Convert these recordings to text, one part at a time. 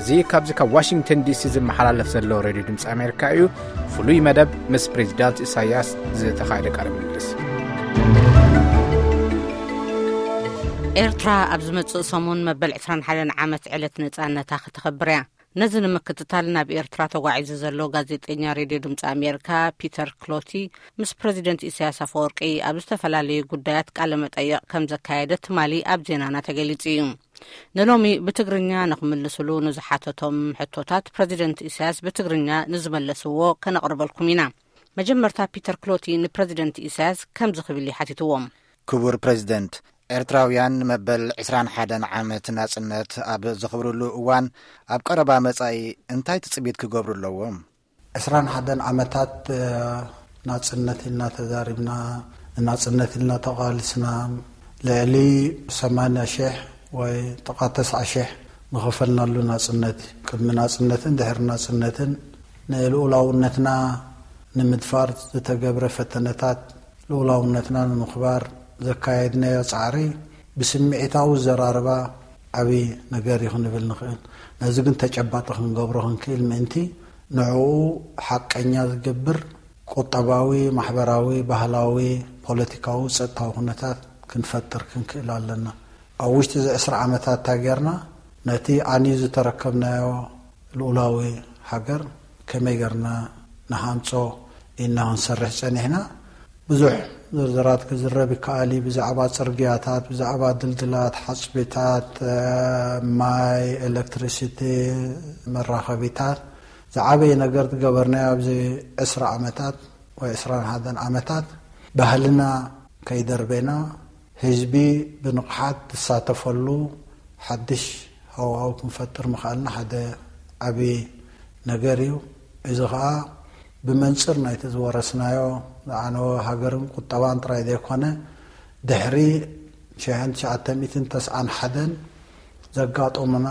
እዚ ካብዚ ካብ ዋሽንግተን ዲሲ ዝመሓላለፍ ዘሎ ሬድዮ ድምፂ ኣሜሪካ እዩ። ፍሉይ መደብ ምስ ፕሬዚዳንት ኢሳያስ ዝተኻየደ ቃለ ምልልስ። ኤርትራ ኣብ ዝመጽእ ሰሙን መበል ዕስራን ሓደን ዓመት ዕለት ነጻነታ ክተኸብር እያ። ነዚ ንምክትታል ናብ ኤርትራ ተጓዒዙ ዘሎ ጋዜጠኛ ሬድዮ ድምፂ ኣሜሪካ ፒተር ክሎቲ ምስ ፕሬዚደንት ኢሳያስ ኣፈወርቂ ኣብ ዝተፈላለዩ ጉዳያት ቃለ መጠይቕ ከም ዘካየደ ትማሊ ኣብ ዜናና ተገሊጹ እዩ። ንሎሚ ብትግርኛ ንኽምልስሉ ንዝሓተቶም ሕቶታት ፕሬዚደንት ኢሳያስ ብትግርኛ ንዝመለስዎ ከነቕርበልኩም ኢና። መጀመርታ ፒተር ክሎቲ ንፕሬዚደንት ኢሳያስ ከምዚ ክብል ይሓቲትዎም። ክቡር ፕሬዚደንት፣ ኤርትራውያን መበል ዕስራን ሓደን ዓመት ናጽነት ኣብ ዘኽብርሉ እዋን ኣብ ቀረባ መጻኢ እንታይ ትጽቢት ክገብሩ ኣለዎም? ዕስራን ሓደን ዓመታት ናጽነት ኢልና ተዛሪብና፣ ንናጽነት ኢልና ተቓልስና፣ ልዕሊ ሰማንያ ሽሕ ወይ ጥቓ ተስዓ ሽሕ ንኸፈልናሉ ናጽነት እዩ። ቅድሚ ናጽነትን ድሕሪ ናጽነትን ንልኡላውነትና ንምድፋር ዝተገብረ ፈተነታት፣ ልኡላውነትና ንምኽባር ዘካየድናዮ ጻዕሪ ብስምዒታዊ ዘራርባ ዓብዪ ነገር እዩ ክንብል ንኽእል። ነዚ ግን ተጨባጢ ክንገብሮ ክንክእል ምእንቲ ንዕኡ ሓቀኛ ዝገብር ቁጠባዊ፣ ማሕበራዊ፣ ባህላዊ፣ ፖለቲካዊ፣ ጸጥታዊ ኩነታት ክንፈጥር ክንክእል ኣለና። ኣብ ውሽጢ እዚ ዕስራ ዓመታት እንታይ ጌርና? ነቲ ኣንዩ ዝተረከብናዮ ልኡላዊ ሃገር ከመይ ጌርና ንሃንጾ ኢልና ክንሰርሕ ጸኒሕና። ብዙሕ ዝርዝራት ክዝረብ ይከኣል እዩ። ብዛዕባ ጽርግያታት፣ ብዛዕባ ድልድላት፣ ሓጽቢታት፣ ማይ፣ ኤሌክትሪሲቲ፣ መራኸቢታት ዝዓበየ ነገር ዝገበርናዮ ኣብዚ ዕስራ ዓመታት ወይ ዕስራን ሓደን ዓመታት ባህልና ከይደርበና ህዝቢ ብንቕሓት ዝሳተፈሉ ሓድሽ ሃዋህው ክንፈጥር ምኽኣልና ሓደ ዓብዪ ነገር እዩ። እዚ ኸኣ ብመንጽር ናይቲ ዝወረስናዮ ዝዓነወ ሃገርን ቁጠባን ጥራይ ዘይኮነ፣ ድሕሪ ሽሕን ትሽዓተ ሚእትን ተስዓን ሓደን ዘጋጠሙና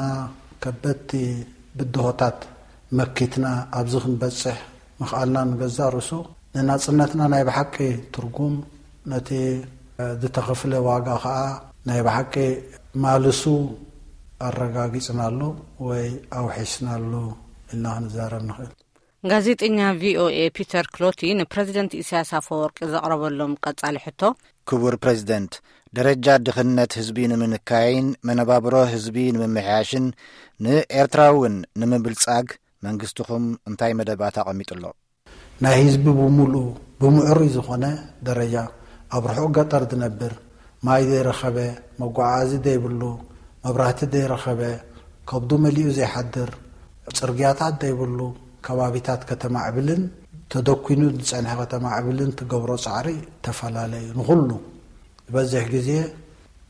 ከበድቲ ብድሆታት መኪትና ኣብዚ ክንበጽሕ ምኽኣልና ንገዛእ ርእሱ ንናጽነትና ናይ ብሓቂ ትርጉም፣ ነቲ ዝተኸፍለ ዋጋ ኸኣ ናይ ብሓቂ ማልሱ ኣረጋጊጽናሉ ወይ ኣውሒስናሉ ኢልና ክንዛረብ ንኽእል። ጋዜጠኛ ቪኦኤ ፒተር ክሎቲ ንፕሬዚደንት ኢሳያስ ኣፈወርቂ ዘቕረበሎም ቀጻሊ ሕቶ፣ ክቡር ፕሬዚደንት፣ ደረጃ ድኽነት ህዝቢ ንምንካይን መነባብሮ ህዝቢ ንምምሕያሽን ንኤርትራ እውን ንምብልጻግ መንግስትኹም እንታይ መደባት ኣቐሚጡ ኣሎ? ናይ ህዝቢ ብምሉኡ ብምዕሩይ ዝኾነ ደረጃ ኣብ ርሑቕ ገጠር ዝነብር፣ ማይ ዘይረኸበ፣ መጓዓዓዚ ዘይብሉ፣ መብራህቲ ዘይረኸበ፣ ከብዱ መሊኡ ዘይሓድር፣ ጽርግያታት ዘይብሉ ከባቢታት ከተማዕብልን ተደኲኑ ዝጸንሐ ከተማዕብልን ትገብሮ ጻዕሪ ተፈላለ እዩ። ንኹሉ ዝበዝሕ ግዜ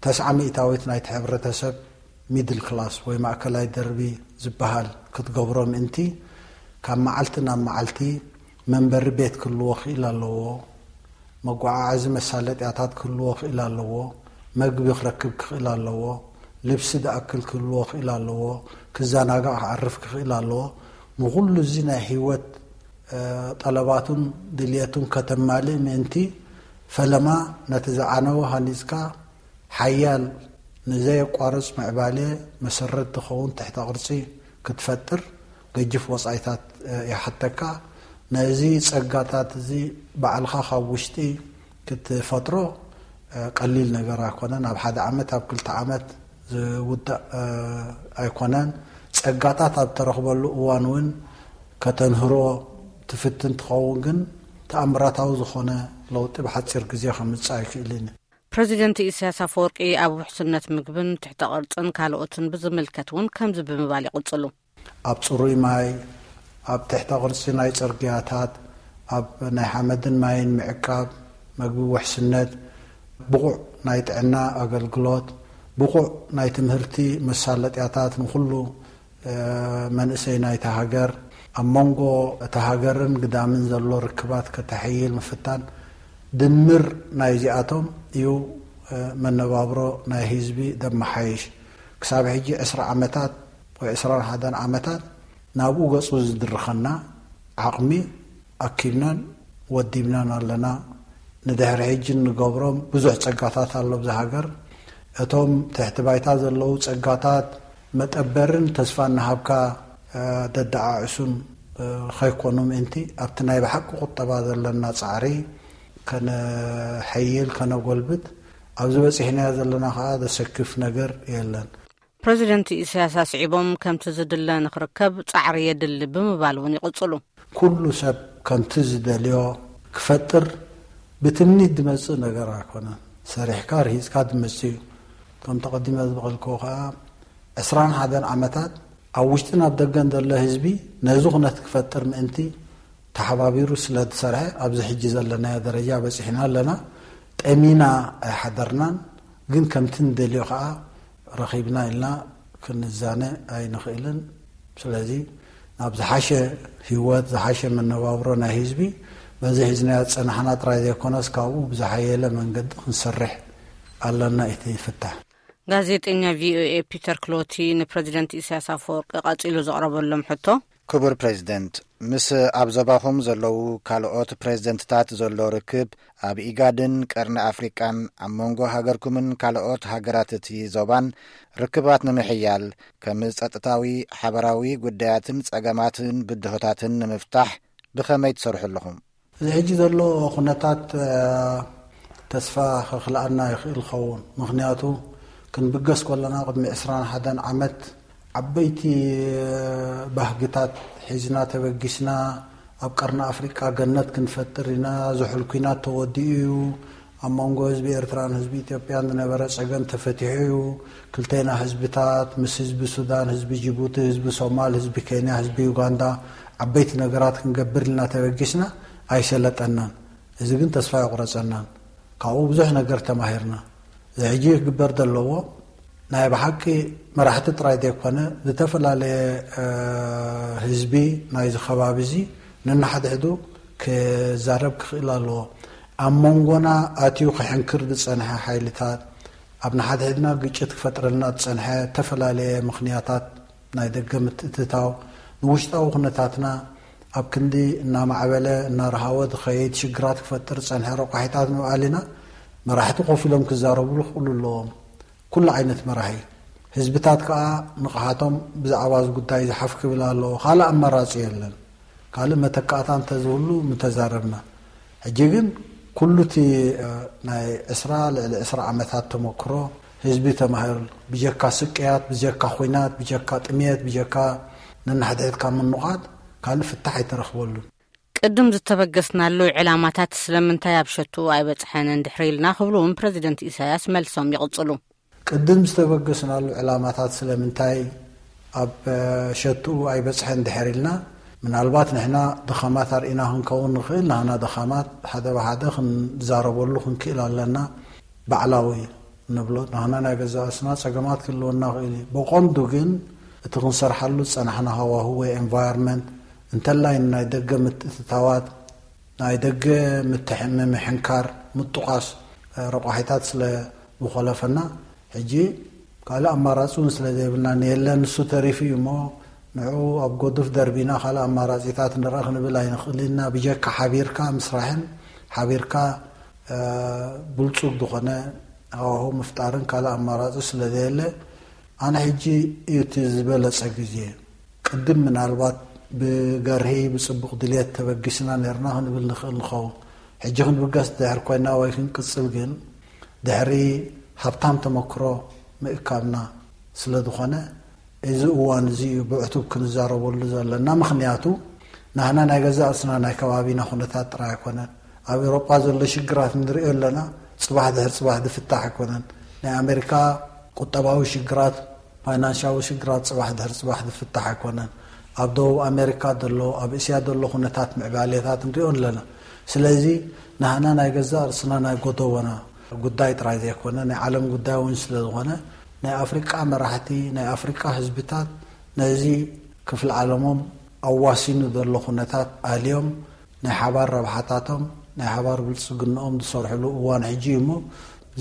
ተስዓ ሚእታዊት ናይቲ ሕብረተሰብ ሚድል ክላስ ወይ ማእከላይ ደርቢ ዝበሃል ክትገብሮ ምእንቲ፣ ካብ መዓልቲ ናብ መዓልቲ መንበሪ ቤት ክህልዎ ክእል ኣለዎ፣ መጓዓዓዚ መሳለጥያታት ክህልዎ ክእል ኣለዎ፣ መግቢ ክረክብ ክኽእል ኣለዎ፣ ልብሲ ዝኣክል ክህልዎ ክእል ኣለዎ፣ ክዘናጋዕ ክዓርፍ ክኽእል ኣለዎ። ንኹሉ እዚ ናይ ህይወት ጠለባቱን ድልየቱን ከተማልእ ምእንቲ፣ ፈለማ ነቲ ዝዓነወ ሃኒጽካ ሓያል ንዘየቋርጽ ምዕባለ መሰረት ዝኸውን ትሕተ ቅርጺ ክትፈጥር ገጅፍ ወጻኢታት ይሓተካ። ነዚ ጸጋታት እዚ ባዕልኻ ካብ ውሽጢ ክትፈጥሮ ቀሊል ነገር ኣይኮነን። ኣብ ሓደ ዓመት ኣብ ክልተ ዓመት ዝውዳእ ኣይኮነን። ጸጋታት ኣብ ተረኽበሉ እዋን እውን ከተንህሮ ትፍትን ትኸውን፣ ግን ተኣምራታዊ ዝኾነ ለውጢ ብሓጺር ግዜ ከምጽእ ኣይክእልን እዩ። ፕረዚደንት ኢሳያስ ኣፈወርቂ ኣብ ውሕስነት ምግብን ትሕተ ቅርጽን ካልኦትን ብዝምልከት እውን ከምዚ ብምባል ይቕጽሉ። ኣብ ጽሩይ ማይ፣ ኣብ ትሕተ ቅርጺ ናይ ጽርግያታት፣ ኣብ ናይ ሓመድን ማይን ምዕቃብ፣ መግቢ ውሕስነት፣ ብቑዕ ናይ ጥዕና ኣገልግሎት፣ ብቑዕ ናይ ትምህርቲ መሳለጥያታት ንኹሉ መንእሰይ ናይታ ሃገር ኣብ መንጎ እታ ሃገርን ግዳምን ዘሎ ርክባት ከተሐይል ምፍታን ድምር ናይዚኣቶም እዩ መነባብሮ ናይ ህዝቢ ዘመሓይሽ። ክሳብ ሕጂ ዕስራ ዓመታት ወይ ዕስራን ሓደን ዓመታት ናብኡ ገጹ ዝድርኸና ዓቕሚ ኣኪብናን ወዲብናን ኣለና። ንድሕሪ ሕጂ እንገብሮም ብዙሕ ጸጋታት ኣሎ ኣብዛ ሃገር። እቶም ትሕቲ ባይታ ዘለዉ ጸጋታት መጠበርን ተስፋ እናሃብካ ደደዓዕሱን ከይኮኑ ምእንቲ ኣብቲ ናይ ብሓቂ ቁጠባ ዘለና ጻዕሪ ከነሐይል ከነጎልብት ኣብዚ በጺሕናዮ ዘለና ከኣ ዘሰክፍ ነገር የለን። ፕረዚደንት ኢሳያስ ኣስዒቦም ከምቲ ዝድለ ንክርከብ ጻዕሪ የድሊ ብምባል እውን ይቕጽሉ። ኩሉ ሰብ ከምቲ ዝደልዮ ክፈጥር ብትምኒት ዝመጽእ ነገር ኣይኮነን። ሰሪሕካ ርሂጽካ ዝመጽእ እዩ። ከም ተቐዲመ ዝበቐልክዎ ከኣ ዕስራን ሓደን ዓመታት ኣብ ውሽጥን ኣብ ደገን ዘሎ ህዝቢ ነዚ ኩነት ክፈጥር ምእንቲ ተሓባቢሩ ስለ ዝሰርሐ ኣብዚ ሕጂ ዘለናዮ ደረጃ በጺሕና ኣለና። ጠሚና ኣይሓደርናን፣ ግን ከምቲ ንደልዮ ከኣ ረኺብና ኢልና ክንዛነ ኣይንኽእልን። ስለዚ ናብ ዝሓሸ ህይወት፣ ዝሓሸ መነባብሮ ናይ ህዝቢ በዚ ሒዝናዮ ዝጸናሕና ጥራይ ዘይኮነስ ካብኡ ብዝሓየለ መንገዲ ክንሰርሕ ኣለና። እቲ ፍታሕ ጋዜጠኛ ቪኦኤ ፒተር ክሎቲ ንፕረዚደንት ኢሳያስ ኣፈወርቂ ቀጺሉ ዘቕረበሎም ሕቶ፣ ክቡር ፕሬዚደንት፣ ምስ ኣብ ዞባኹም ዘለዉ ካልኦት ፕሬዚደንትታት ዘሎ ርክብ ኣብ ኢጋድን ቀርኒ ኣፍሪቃን ኣብ መንጎ ሃገርኩምን ካልኦት ሃገራት እቲ ዞባን ርክባት ንምሕያል ከም ጸጥታዊ፣ ሓበራዊ ጉዳያትን ጸገማትን ብድሆታትን ንምፍታሕ ብኸመይ ትሰርሑ ኣለኹም? እዚ ሕጂ ዘሎ ኩነታት ተስፋ ከኽልኣና ይኽእል ኸውን። ምኽንያቱ ክንብገስ ከለና ቅድሚ ዕስራን ሓደን ዓመት ዓበይቲ ባህግታት ሒዝና ተበጊስና ኣብ ቀርኒ ኣፍሪቃ ገነት ክንፈጥር ኢና፣ ዝሑል ኲናት ተወዲኡ እዩ፣ ኣብ መንጎ ህዝቢ ኤርትራን ህዝቢ ኢትዮጵያን ዝነበረ ጸገም ተፈቲሑ እዩ፣ ክልቴና ህዝብታት ምስ ህዝቢ ሱዳን፣ ህዝቢ ጅቡቲ፣ ህዝቢ ሶማል፣ ህዝቢ ኬንያ፣ ህዝቢ ዩጋንዳ ዓበይቲ ነገራት ክንገብር ኢልና ተበጊስና ኣይሰለጠናን። እዚ ግን ተስፋ የቑረጸናን። ካብኡ ብዙሕ ነገር ተማሂርና። እዚ ሕጂ ክግበር ዘለዎ ናይ ብሓቂ መራሕቲ ጥራይ ዘይኮነ ዝተፈላለየ ህዝቢ ናይዚ ከባቢ እዚ ነንሓድሕዱ ክዛረብ ክኽእል ኣለዎ። ኣብ መንጎና ኣትዩ ክሕንክር ዝጸንሐ ሓይልታት፣ ኣብ ንሓድሕድና ግጭት ክፈጥረልና ዝጸንሐ ዝተፈላለየ ምኽንያታት ናይ ደገ ምትእትታው ንውሽጣዊ ኩነታትና ኣብ ክንዲ እናማዕበለ እናረሃወ ዝኸይድ ሽግራት ክፈጥር ዝጸንሐ ረቋሒታት ንምባል ኢና። መራሕቲ ኮፍ ኢሎም ክዛረብሉ ክኽእሉ ኣለዎም። ኩሉ ዓይነት መራሒ ህዝብታት ከኣ ንቕሓቶም ብዛዕባ እዚ ጉዳይ ዝሓፍ ክብል ኣለዎ። ካልእ ኣማራጺ የለን። ካልእ መተካእታ እንተዝህሉ ምተዛረብና። ሕጂ ግን ኩሉ እቲ ናይ ዕስራ ልዕሊ ዕስራ ዓመታት ተመክሮ ህዝቢ ተማሂሩ ብጀካ ስቅያት፣ ብጀካ ኹናት፣ ብጀካ ጥምየት፣ ብጀካ ነንሕድሕድካ ምንቓት ካልእ ፍታሕ ኣይተረኽበሉን። ቅድም ዝተበገስናሉ ዕላማታት ስለምንታይ ኣብ ሸትኡ ኣይበጽሐን እንድሕር ኢልና ክብሉ እውን ፕረዚደንት ኢሳያስ መልሶም ይቕጽሉ። ቅድም ዝተበገስናሉ ዕላማታት ስለምንታይ ኣብ ሸትኡ ኣይበጽሐን እንድሕር ኢልና፣ ምናልባት ንሕና ድኻማት ኣርኢና ክንከውን ንኽእል። ንሕና ድኻማት ሓደ ብሓደ ክንዛረበሉ ክንክእል ኣለና። ባዕላዊ ንብሎ ንሕና ናይ ገዛእ ርእስና ጸገማት ክህልወና ይኽእል እዩ። ብቐንዱ ግን እቲ ክንሰርሓሉ ዝጸናሕና ሃዋሁ ወይ environment እንተላይ ንናይ ደገ ምትእትታዋት ናይ ደገ ምትሕ- ምምሕንካር ምጥቋስ ረቋሒታት ስለ ዝኾለፈና ሕጂ ካልእ ኣማራጺ እውን ስለ ዘይብልና ንየለን ንሱ ተሪፉ እዩ እሞ ንዕኡ ኣብ ጎዱፍ ደርቢና ካልእ ኣማራጺታት ንረኣ ክንብል ኣይንኽእልን ኢና። ብጀካ ሓቢርካ ምስራሕን ሓቢርካ ብልጹግ ዝኾነ ሃዋሁ ምፍጣርን ካልእ ኣማራጺ ስለ ዘየለ ኣነ ሕጂ እዩ እቲ ዝበለጸ ግዜ። ቅድም ምናልባት ብገርሂ ብጽቡቕ ድልየት ተበጊስና ነርና ክንብል ንኽእል ንኸውን። ሕጂ ክንብገስ ድሕር ኮይና ወይ ክንቅጽል ግን ድሕሪ ሃብታም ተመክሮ ምእካብና ስለ ዝኾነ እዚ እዋን እዚ እዩ ብዕቱብ ክንዛረበሉ ዘለና። ምኽንያቱ ናህና ናይ ገዛእ ርእስና ናይ ከባቢና ኩነታት ጥራይ ኣይኮነን። ኣብ ኤውሮጳ ዘሎ ሽግራት ንሪኦ ኣለና። ጽባሕ ድሕር ጽባሕ ዝፍታሕ ኣይኮነን። ናይ ኣሜሪካ ቁጠባዊ ሽግራት ፋይናንሻዊ ሽግራት ጽባሕ ድሕሪ ጽባሕ ዝፍታሕ ኣይኮነን። ኣብ ደቡብ ኣሜሪካ ዘሎ ኣብ እስያ ዘሎ ኩነታት ምዕባሌታት ንሪኦ ኣለና። ስለዚ ናህና ናይ ገዛእ ርእስና ናይ ጎደቦና ጉዳይ ጥራይ ዘይኮነ ናይ ዓለም ጉዳይ እውን ስለ ዝኾነ ናይ ኣፍሪቃ መራሕቲ ናይ ኣፍሪቃ ህዝብታት ነዚ ክፍሊ ዓለሞም ኣዋሲኑ ዘሎ ኩነታት ኣልዮም ናይ ሓባር ረብሓታቶም ናይ ሓባር ብልጽግንኦም ዝሰርሕሉ እዋን ሕጂ እዩ እሞ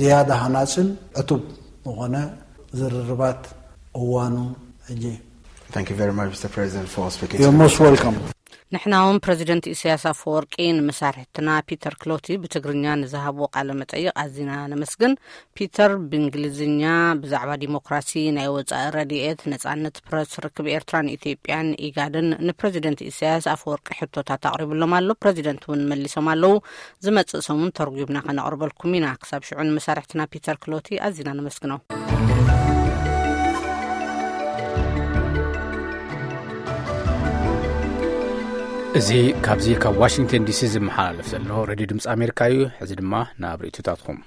ዝያዳ ሃናጽን ዕቱብ ዝኾነ ዝርርባት እዋኑ ሕጂ እዩ። Thank you very much, Mister President, for speaking You're to most welcome. ንሕና እውን ፕረዚደንት ኢሳያስ ኣፈወርቂ ንመሳርሕትና ፒተር ክሎቲ ብትግርኛ ንዝሃብዎ ቃለ መጠይቕ ኣዚና ነመስግን። ፒተር ብእንግሊዝኛ ብዛዕባ ዲሞክራሲ፣ ናይ ወጻኢ ረድኤት፣ ነጻነት ፕረስ፣ ርክብ ኤርትራን ኢትዮጵያን ኢጋድን ንፕረዚደንት ኢሳያስ ኣፈወርቂ ሕቶታት ኣቕሪብሎም ኣሎ። ፕረዚደንት እውን መሊሶም ኣለዉ። ዝመጽእ ሰሙን ተርጒምና ከነቕርበልኩም ኢና። ክሳብ ሽዑ ንመሳርሕትና ፒተር ክሎቲ ኣዚና ነመስግኖ። እዚ ካብዚ ካብ ዋሽንግተን ዲሲ ዝመሓላለፍ ዘሎ ሬድዮ ድምፂ ኣሜሪካ እዩ። ሕዚ ድማ ናብ ርእይቶታትኩም።